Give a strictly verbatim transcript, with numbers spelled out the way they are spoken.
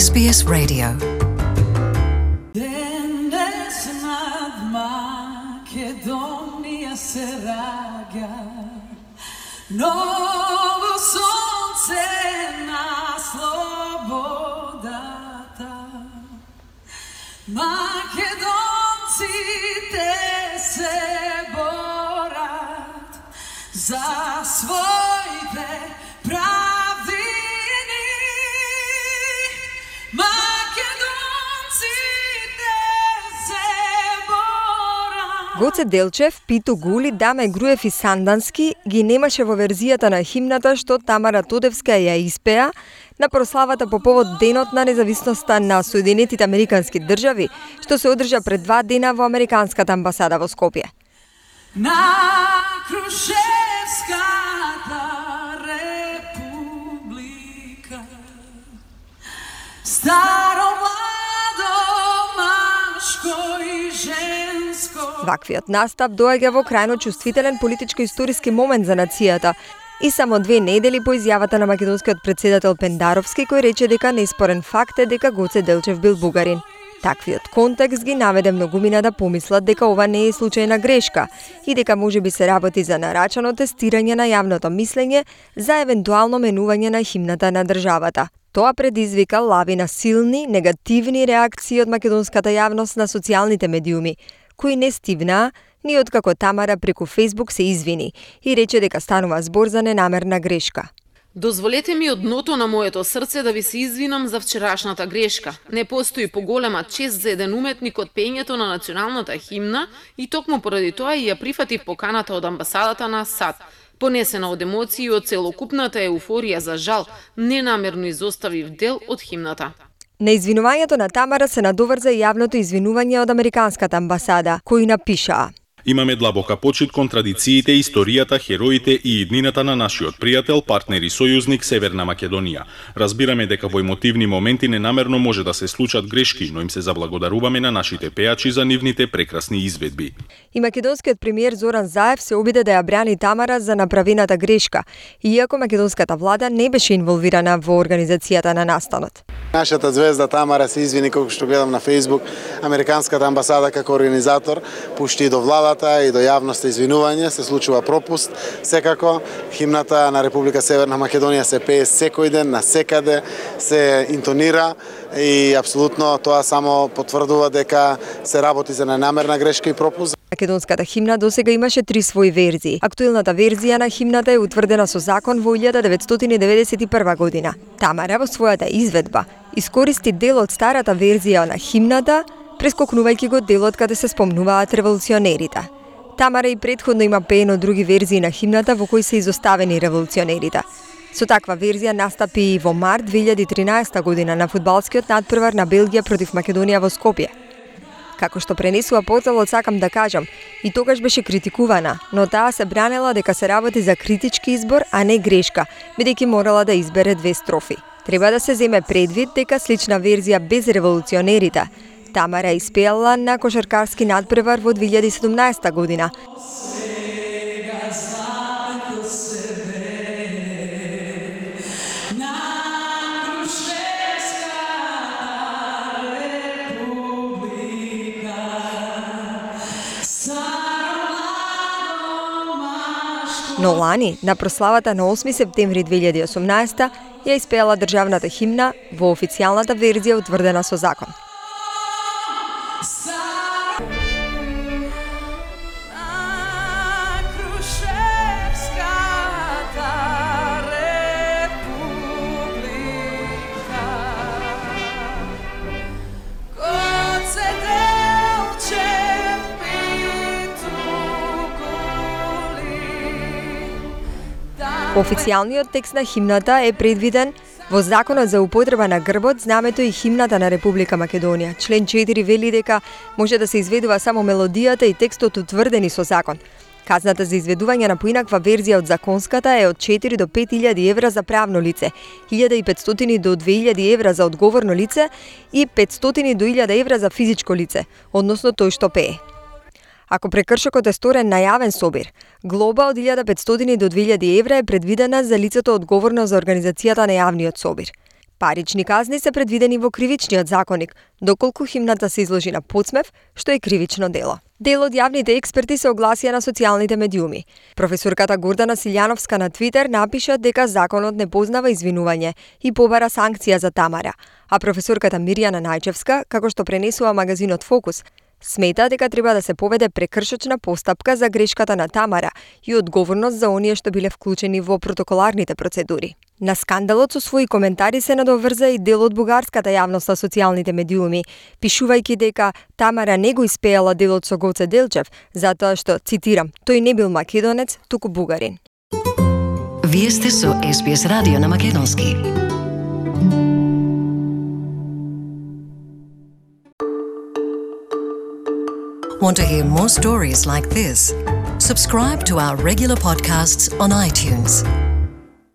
С Б С Radio. Денес над Македонија се раѓа ново сонце на слободата. Македонците се борат за своите правдини. Гоце Делчев, Питу Гули, Даме Груев и Сандански ги немаше во верзијата на химната што Тамара Тодевска ја испеа на прославата по повод Денот на независноста на Соединетите Американски држави, што се одржа пред два дена во Американската амбасада во Скопје. На Крушевската република старо младо машко и женско. Ваквиот настап доаѓа во крајно чувствителен политичко-историски момент за нацијата и само две недели по изјавата на македонскиот претседател Пендаровски, кој рече дека неспорен факт е дека Гоце Делчев бил бугарин. Таквиот контекст ги наведе многумина да помислат дека ова не е случајна грешка и дека можеби се работи за нарачано тестирање на јавното мислење за евентуално менување на химната на државата. Тоа предизвика лавина силни, негативни реакции од македонската јавност на социјалните медиуми, кои не стивнаа ни откако Тамара преку Фејсбук се извини и рече дека станува збор за ненамерна грешка. Дозволете ми од дното на моето срце да ви се извинам за вчерашната грешка. Не постои поголема чест за еден уметник од пењето на националната химна и токму поради тоа и ја прифатив поканата од амбасадата на САД. Понесена од емоции и од целокупната еуфорија за жал, ненамерно изоставив дел од химната. На извинувањето на Тамара се надоврза и јавното извинување од Американската амбасада, кои напишаа: Имаме длабока почит кон традициите, историјата, хероите и иднината на нашиот пријател, партнер и сојузник Северна Македонија. Разбираме дека во емотивни моменти ненамерно може да се случат грешки, но им се заблагодаруваме на нашите пејачи за нивните прекрасни изведби. И македонскиот премиер Зоран Заев се обиде да ја брани Тамара за направената грешка, иако македонската влада не беше инволвирана во организацијата на настанот. Нашата звезда Тамара се извини, како што гледам на Фејсбук, Американската амбасада како организатор пушти до владата и до јавноста извинување, се случува пропуст. Секако, химната на Република Северна Македонија се пее секој ден, на секаде, се интонира и апсолутно тоа само потврдува дека се работи за ненамерна грешка и пропуст. Македонската химна досега имаше три своји верзии. Актуелната верзија на химната е утврдена со закон во илјада деветстотини деветдесет и прва година. Тамара во својата изведба искористи дел од старата верзија на химната, прескокнувајќи го делот каде се спомнуваат револуционерите. Тамара и претходно има пеено други верзии на химната во кои се изоставени револуционерите. Со таква верзија настапи и во март две илјади и тринаесета година на фудбалскиот надпревар на Белгија против Македонија во Скопје. Како што пренесува порталот, сакам да кажам, и тогаш беше критикувана, но таа се бранела дека се работи за критички избор, а не грешка, бидејќи морала да избере две строфи. Треба да се земе предвид дека слична верзија без револуционерите Тамара испеала на кошаркарски надпревар во две илјади и седумнаесета година. Но лани, на прославата на осми септември две илјади и осумнаесета, ја испеала државната химна во официјалната верзија утврдена со закон. Официјалниот текст на химната е предвиден во Законот за употреба на грбот, знамето и химната на Република Македонија. Член четири вели дека може да се изведува само мелодијата и текстот утврдени со закон. Казната за изведување на поинаква верзија од законската е од четири до пет илјади евра за правно лице, илјада и петстотини до две илјади евра за одговорно лице и петстотини до илјада евра за физичко лице, односно тој што пее. Ако прекршокот е сторен на јавен собир, глоба од илјада и петстотини до две илјади евра е предвидена за лицето одговорно за организацијата на јавниот собир. Парични казни се предвидени во кривичниот законник, доколку химната се изложи на потсмев, што е кривично дело. Дел од јавните експерти се огласија на социјалните медиуми. Професорката Гордана Силјановска на Твитер напиша дека законот не познава извинување и побара санкција за Тамара, а професорката Мирјана Најчевска, како што пренесува магазинот Фокус, смета дека треба да се поведе прекршочна постапка за грешката на Тамара и одговорност за оние што биле вклучени во протоколарните процедури. На скандалот со своји коментари се надоврза и дел од бугарската јавност на социјалните медиуми, пишувајќи дека Тамара не го испејала делот со Гоце Делчев, затоа што, цитирам, тој не бил македонец, туку бугарин. Вие сте со Ес Би Ес радио на македонски. Want to hear more stories like this? Subscribe to our regular podcasts on iTunes.